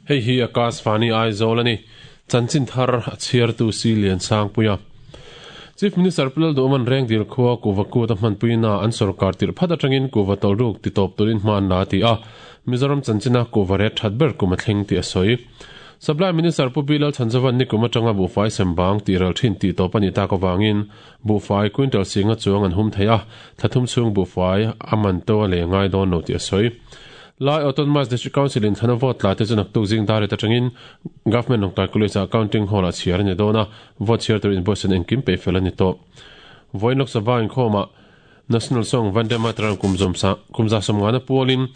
Hei hi Akashvani Aizawl a ni. Chanchin thar a chhiartu Si Liansangpuia. Chief Minister Pu Lalduhawma'n Rengdil khua kuhva kut a hmanpuina an sorkar tirh phat atangin kuhva tawlhruk titawp turin hma an la a ti a, Mizoram chanchina kuhva ret that ber kum a thleng tih a sawi. Supply Minister Pu Bilal Chhanzova'n nikum atanga buhfai sembang tih ral thin tih tawp a nih tak avangin buhfai quintal singa chuang an hum thei a, thla thum chhung buhfai a man to a lei ngai dawn lo tih a sawi. Lai Autonomous District Council in thlana vote tla te chu naktuk zing dar et atangin Government Lawngtlai College ah Counting Hall ah chhiar a ni dawn a, vote chhiar tur invoice an engkim peih fel a ni tawh. Vawiin Lok Sabha inkhawmah National Song Vande Mataram kum kumza sawmngana pualin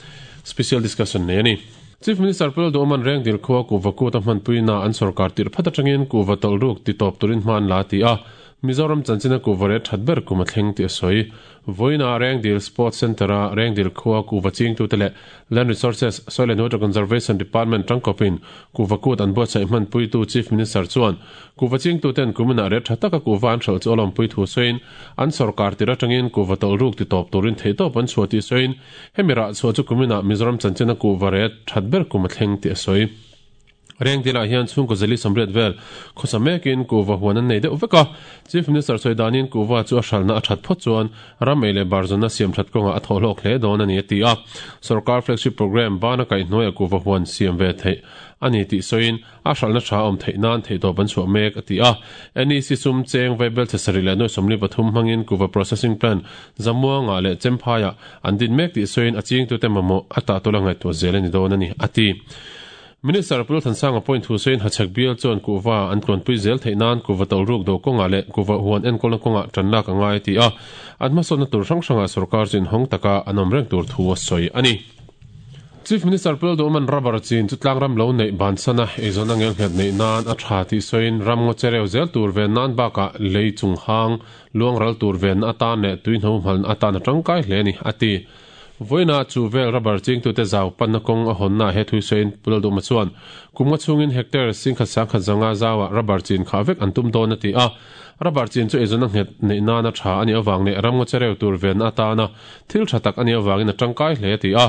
Special Discussion nei a ni. Chief Minister Pu Lalduhawma'n Rengdil khua kuhva kut a hmanpuina an sorkar tirh phat atangin kuhva tawlhruk titawp turin hma an la ti a, Mizoram chanchina kuhva ret that ber kum a thleng tih a sawi. Vawiinah Rengdil Sports Centre-a Rengdil khua kuhva chingtute leh Land Resources, Soil and Water Conservation Department tangkawpin kuhva kut an buatsaih hmanpuitu Chief Minister chuan kuhva chingtuten kuminah ret tha taka kuhva an hralh chu a lawmpui thu sawiin an sorkar tir atangin kuhva tawlhruk titawp turin theihtawp an chhuah tih sawiin hemi rah chhuah chu kuminah Mizoram chanchina kuhva ret that ber kum a thleng tih a sawi. Rengdilah hian chhungkaw zali sawmriat vel khawsa mekin kuhva huan an nei deuh vek a. Chief Minister sawi danin kuhva chu a hralhna a that phawt chuan ram ei leh barzawnna siam that kawngah a thawh hlawk hle dawn a ni a ti a. Sorkar flagship programme bana kaihhnuaiah kuhva huan siam ve theih a ni tih sawiin a hralhna tha awm theih nan theihtawp an chhuah mek a ti a. NEC sum cheng vaibel chhe sarih leh nuai 43 hmangin kuhva processing plant Zamuangah leh Chemphaiah an din mek tih sawiin a chingtute mamawh a tah tula ngaihtuah zel a ni dawn a ni a ti. Minister Pu Lalthansanga pawhin thu sawiin Hachhek bial chuan kuhva an tluanpui zel theih nan kuhva tawlhruk do kawngah leh kuhva huan enkawlna kawngah tan lak a ngai a ti a, an hmasawnna tur hrang hrangah sorkar chu inhawng taka an awm reng tur thu a sawi a ni. Chief Minister Pu Lalduhawma'n rubber chin chu tlangram lo neih bansana eizawnna ngelnghet neih nan a tha tih sawiin ram ngaw chereu zel tur ven nan bakah lei chung hang luang ral tur venna atan leh tuihno hmalna atan a tangkai hle a ni, a ti. Vawiinah chu vel rubber chingtute zau panna kawng a hawnnaah he thui sawiin Pu Lalduhma chuan kum nga chhungin hectare singkhat sangkhat zanga zauah rubber chin khah vek an tum dawn a ti a. Rubber chin chu eizawnna nghet neih nana tha a nih avang leh ramngaw chereu tur venna atana thil tha tak a nih avangin a tangkai hle a ti a.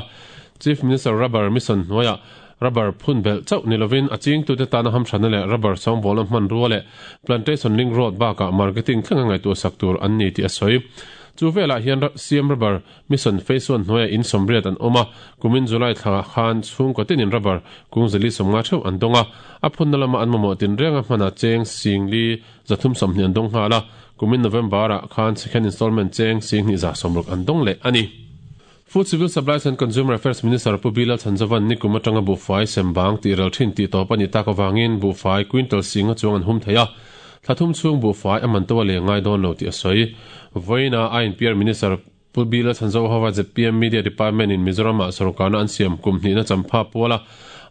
Chief Minister Rubber Mission hnuaiah rubber phun belh chauh ni lovin a chingtute tana hamthatna leh rubber sawngbawlna hmanrua leh plantation link road bakah marketing thlenga ngaihtuahsak tur an ni tih a sawi. Chu velah hian CM Rubber Mission Phase One hnuaiah in sawmriat an awm a, kumin July thla khan chhungkaw tinin rubber kung zali sawmnga theuh an dawng a, a phunna lama an mamawh tinrenga hmana cheng singli zathum sawmhnih an dawng nghal a, kumin November-ah khan second installment cheng singhnih za sawmruk an dawng leh a ni. Food Civil Supplies and Consumer Affairs Minister Pu Bilal Chhanzovan nikum atanga buhfai sembang tih ral thin tih tawp a nih tak avangin buhfai quintal singa chuang an hum thei a, Thla thum chhung buhfai a man to a leng ngai dawn lo tih a sawi. Vawiinah INPR Minister Pu Bila Chhanzohova zpm Media Department in Mizoram-ah sorkarna an siam kum hnihna champha puala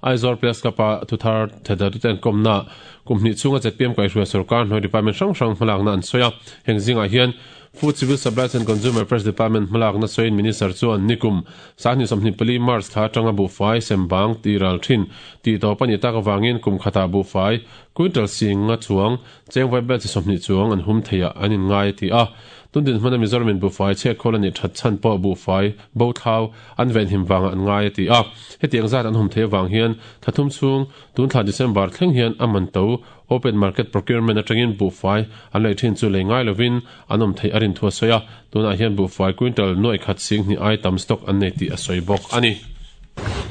Aizawl Press Club-a thuthar thedatu te an kawmnaah kum hnih chhunga zpm kaihhruai sorkar hnuai department hrang hrang hmalakna an sawi a. Heng zingah hian Food Civil Supplies and Consumer Affairs Department hmalakna sawiin Minister chuan nikum Sangni 24 March thla atanga buhfai sembang tih ral thin tih tawp a nih tak avangin kum khatah buhfai quintal singa chuang cheng vai bel chi 20 chuang an hum theiah an inngai a ti a. Tun dinhmuna Mizoramin buhfai chhiatkhawl a nih that chhan pawh buhfai bo thlau an venhim vangah an ngai a ti a. Hetiang zat an hum theih avang hian thla thum chhung tun thla December thleng hian a man to Open market procurement atangin buhfai an lei thin chu lei ngai lovin an awm theih a rin thu a sawi a, tunah hian buhfai quintal nuaih khat sing hnih ai tam stock an nei tih a sawi bawk a ni.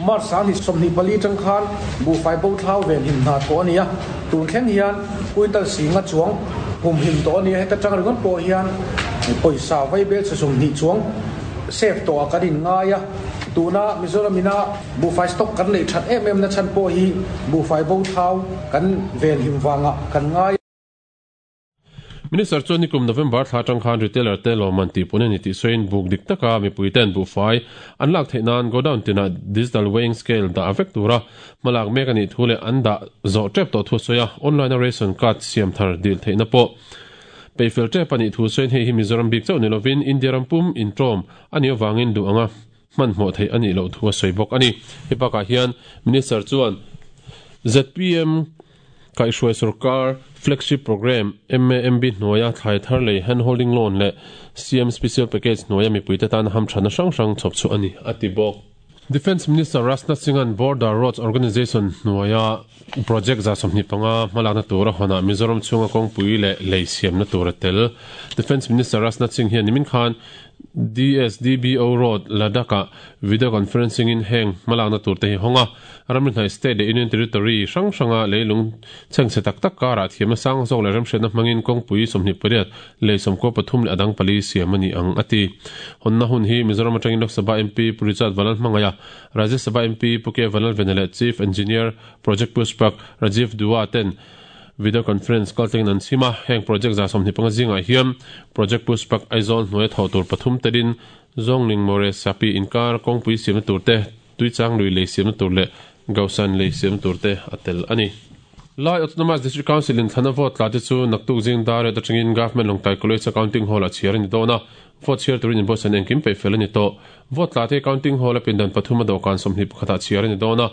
March 24 tang khan buhfai bo thlau ven him hna thawh a ni a, tun thleng hian quintal singa chuang hum him tawh a ni a, heta tang ringawt pawh hian pawisa vaibel chhe 20 chuang save tawh ah kan inngai a, tuna Mizoram ina buhfai stock kan neih that em em na chhan pawh hi buhfai bo thlau kan venhim vangah kan ngai. Minister chuan nikum November thla atang khan retailer te lawmman tih pun a ni tih sawiin buk dik taka mipui ten buhfai an lak theih nan godown tinah digital weighing scale dah vek tura hmalak mek a nih thu leh an dah zawh tep tawh thu a sawi a, online a ration card siam thar dil theihna pawh peihfel tep a nih thu sawiin hei hi Mizoram bik chauh ni lovin India ram pum intawm a nih avangin duh anga hmanhmawh theih a nih loh thu a sawi bawk a ni. Hei bakah hian Minister chuan zpm kaihhruai sorkar flagship programme MAMB hnuaia thlai thar lei hand holding loan leh CM special package hnuaia mipuite tana hamthatna hrang hrang chhawp chhuah a ni, a ti bawk. Defence Minister Rajnath Singh-a'n Border Roads Organisation hnuaia project 25 hmalakna tur a hawnah Mizoram chhunga kawngpui leh lei siamna tur a tel. Defence Minister Rajnath Singh hian nimin khan DSDBO Road, Ladakh-ah video conferencing-in heng hmalakna tur te hi hawng a, ramri hnaih state leh union territory hrang hranga leilung chhengchhe tak tak karah thiamna sang zawk leh remhriatna hmangin kawngpui 28, lei 13 leh a dang pali siam a ni ang, a ti. Hawnna hun hi Mizoram atangin Lok Sabha MP Pu Richard Vanlalhmangaia, Rajya Sabha MP Pu K Vanlalvena leh Chief Engineer Project Pushpak Rajiv Dua ten video conference kaltlengin an chhim a. Heng project 25 zingah hian Project Pushpak Aizawl hnuaia thawh tur pathum telin Zawngling More Sapi inkar kawngpui siamna tur te, Tuichang lui lei siamna tur leh Gausan lei siamna tur te a tel a ni. Lai Autonomous District Council in thlana vote tla te chu naktuk zing dar riat atangin Government Lawngtlai College a counting hall ah chhiar a ni dawn a, vote chhiar turin inbuatsaihna engkim peih fel a ni tawh. Vote tla te counting hall a pindan pathum a dawhkan 21 ah chhiar a ni dawn a,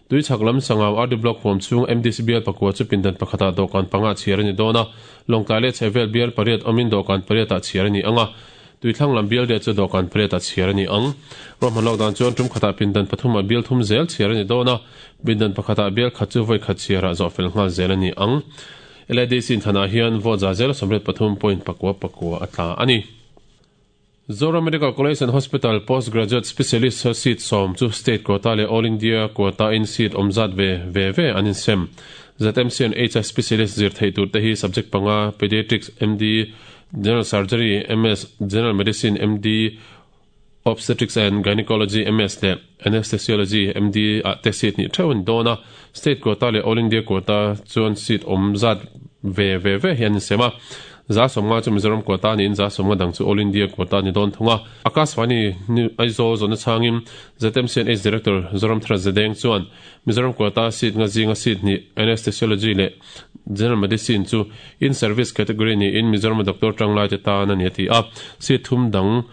Tuichhak lam Sangau RD Block huam chhung MDC bial pakua chu pindan pakhat ah dawhkan panga ah chhiar a ni dawn a, Lawngtlai leh chhehvel bial pariat awmin dawhkan pariat ah chhiar a ni ang a, Tuithlang lam bial riah chu dawhkan pariat ah chhiar a ni ang. Ruahman lawk dan chuan tum khatah pindan pathumah bial thum zel chhiar a ni dawn a, pindan pakhatah bial khat chu vawi khat chhiarah zawh fel nghal zel a ni ang. LADC inthanah hian vote za zel 83.4 pakua a tla a ni. Zoram Medical College and Hospital Postgraduate Specialist seat 10 chu state quota leh All India quota in seat awm zat ve ve ve an insem. ZMC and HI Specialist zir theih tur te hi subject panga Pediatrics MD, General Surgery, MS, General Medicine, MD, Obstetrics and Gynecology, MS, leh Anesthesiology, MD, ah te seat hnih theuh a ni dawn a. State quota leh All India quota chuan seat awm zat ve ve ve hi an insem a. 50% chu Mizoram quota niin 50% dang chu All India quota a ni dawn thung a. Akashvani Aizawl zawhna chhangin ZMCNH Director Zoramthara Zedeng chuan Mizoram quota seat nga zinga seat hnih Anesthesiology leh General Medicine chu In Service category niin Mizoram-a doctor tanglai te tan a ni a ti a, seat thum dang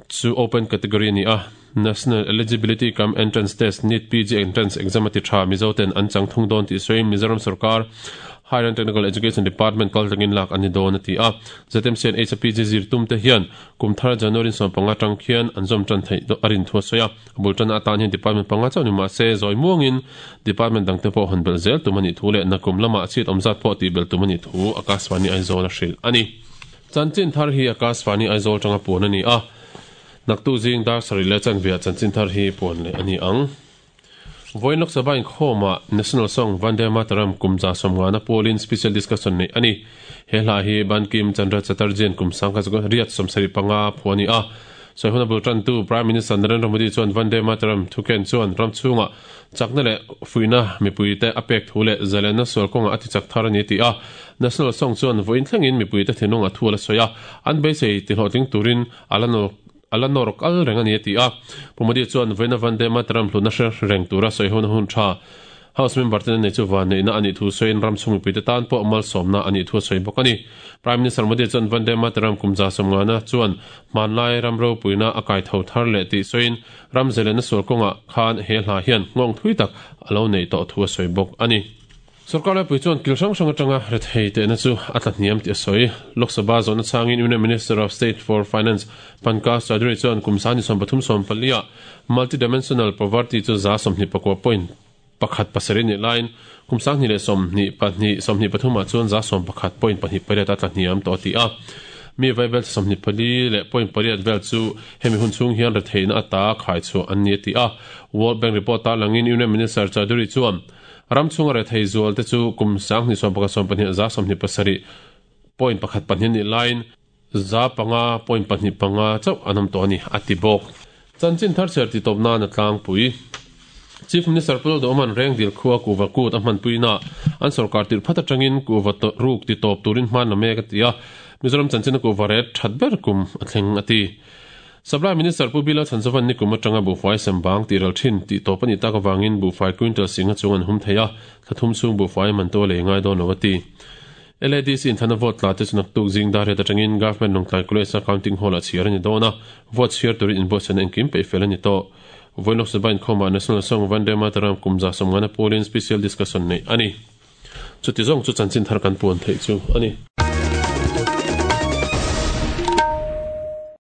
chu Open category a ni a. National Eligibility cum Entrance Test, NEET PG Entrance Exam a ti tha, Mizo ten an chang thung dawn tih sawiin Mizoram sorkar Higher and Technical Education Department kal tangin lak an ni dawn a ti a. ZMC and HPG zir tum te hian kum thar January 15 tang khian an zawm tan theih a rin thu a sawi a. A bul tanna atan hian department panga chauh ni mah se, zawi muangin department dangte pawh hawn belh zel tum a nih thu leh nakum lamah chhiat awm zat pawh tih belh tum a nih thu Akashvani Aizawl a hrilh a ni. Chanchin thar hi Akashvani Aizawl tanga puan a ni a, naktuk zing dar sarih leh chanveah chanchin thar hi puan leh a ni ang. Vawiin Lok Sabha inkhawmah National Song Vande Mataram kum 150na pawlin special discussion neih a ni. He hla hi Bankim Chandra Chatterjee-a'n kum 1875 phuah a ni a. Sawi hun a bul tantu Prime Minister Narendra Modi chuan Vande Mataram thuken chuan ram chhungah chakna leh fuihna mipuite a pek thu leh zalenna sual kawngah a tichak thar a ni a ti a. National Song chuan vawiin thlengin mipuite thinlung a thu a la sawi a, an beisei tihlawhtling turin a la A la nawr kal reng a ni a ti a. Pu Modi chuan vawiina Vande Mataram hlutna hre reng tura sawi hona hun tha House member ten a nei chu vanneihna a nih thu sawiin ram chhung mipuite tan pawh malsawmna a nih thu a sawi bawk a ni. Prime Minister Modi chuan Vande Mataram kum 150na chuan hmanlai ram ropuina a kai tho thar leh tih sawiin ram zelenna sual kawngah khan he hla hian nghawng thui tak a lo neih tawh thu a sawi bawk a ni. Sorkar laipui chuan kil hrang hrang atanga rethei tehna chu a tla hniam tih a sawi. Lok Sabha zawhna chhangin Union Minister of State for Finance Pankaj Chaudhary chuan kum 2030 14 ah multi-dimensional poverty chu 29.17 nih laiin kum 2022 23 ah chuan 11.28 a tla hniam tawh a ti a. Mi vaibel 24 leh .8 vel chu hemi hun chhung hian retheihna ata khaichhuah an ni a ti a. World Bank report tarlangin Union Minister Chaudhary chuan Ram chhunga rethei zual te chu kum 2011 12 27.12 nih laiin 5.25 chauh an awm tawh a ni, a ti bawk. Chanchin thar chhiar tih tawp nan a tlangpui. Chief Minister Pu Lalduhawma'n Rengdil khua kuhva kut a hmanpuina an sorkar tirh phat atangin kuhva ruk ti tawp turin hman la mek a ti a, Mizoram chanchina kuhva ret that ber kum a thleng a ti. Supply Minister Pu Bila Chhanzovan nikum atanga buhfai sem bang tih ral thin tih tawp a nih tak avangin buhfai quintal singa chung an hum thei a, thla thum chhung buhfai man to a lei ngai dawn lo a ti. LADC inthana vote tla te chu naktuk zing dar riat atangin Government Lawngtlai College-a counting hall-ah chhiar a ni dawn a, vote chhiar turin inbuatsaihna engkim peih fel a ni tawh. Vawiin Lok Sabha inkhawmah National Song Vande Mataram kum 150 pawlin special discussion neih a ni. Chuti zawng chu chanchin thar kan puan theih chu a ni.